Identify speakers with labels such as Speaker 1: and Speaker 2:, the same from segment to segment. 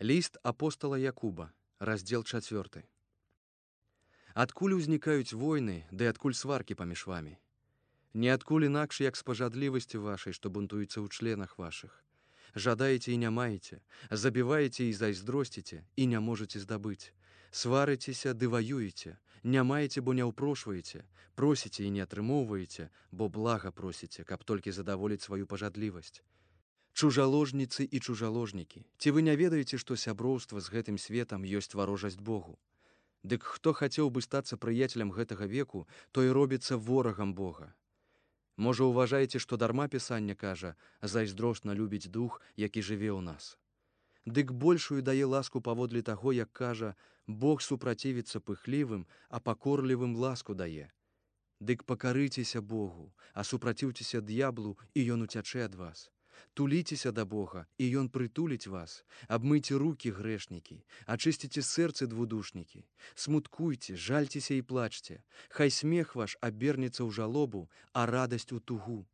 Speaker 1: Ліст апостала Якуба, раздзел 4. Адкуль узнікаюць войны, ды адкуль сваркі паміж вамі? Не адкуль інакш, як з пажадлівасці вашай, што бунтуецца ў членах вашых. Жадаеце і не маеце, забіваеце і зайздросціце, і не можаце здабыць. Сварыцеся ды ваюеце, не маеце, бо не ўпрошваеце, просіце і не атрымоўваеце, бо блага просіце, каб толькі задаволіць сваю пажадлівасць. Чужаложніцы і чужаложнікі, ці вы не ведаеце, што сяброўства з гэтым светам ёсць варожасць Богу? Дык хто хацеў бы стацца прыяцелем гэтага веку, той робіцца ворагам Бога. Можа, уважаеце, што дарма Пісанне кажа, зайздросна любіць дух, які жыве ў нас. Дык большую дае ласку паводле таго, як кажа, Бог супрацівіцца пыхлівым, а пакорлівым ласку дае. Дык пакарыцеся Богу, а супраціўцеся д'яблу, і ён уцячэ ад вас. Туліцеся да Бога, і ён прытуліць вас. Абмыйце рукі, грэшнікі, ачысціце сэрцы, двудушнікі. Смуткуйце, жальцеся і плачце. Хай смех ваш абернецца ў жалобу, а радасць у тугу.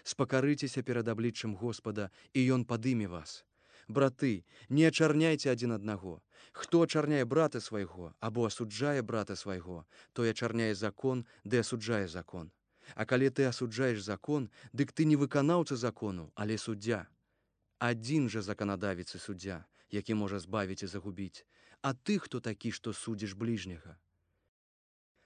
Speaker 1: Спакарыцеся перад абліччам Господа, і ён падыме вас. Браты, не ачарняйце адзін аднаго. Хто ачарняе брата свайго, або асуджае брата свайго, той ачарняе закон, ды асуджае закон. А калі ты асуджаеш закон, дык ты не выканаўца закону, але суддзя. Адзін жа заканадавец і суддзя, які можа збавіць і загубіць. А ты хто такі, што судзіш бліжняга?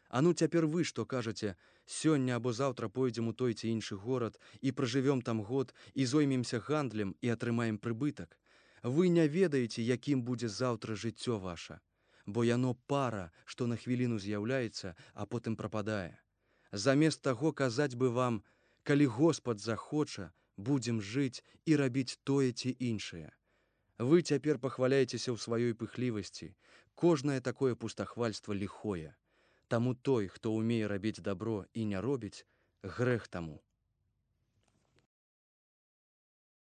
Speaker 1: А ну цяпер вы што кажаце, сёння або заўтра пойдзем у той ці іншы горад і пражывём там год і зоймемся гандлем і атрымаем прыбытак. Вы не ведаеце, якім будзе заўтра жыццё ваша, бо яно пара, што на хвіліну з'яўляецца, а потым прападае. Замест таго казаць бы вам, калі Господ захоча, будзем жыць і рабіць тое ці іншае. Вы цяпер пахваляецеся ў сваёй пыхлівасці. Кожнае такое пустахвальства ліхое. Таму той, хто ўмее рабіць дабро і не робіць, грэх таму.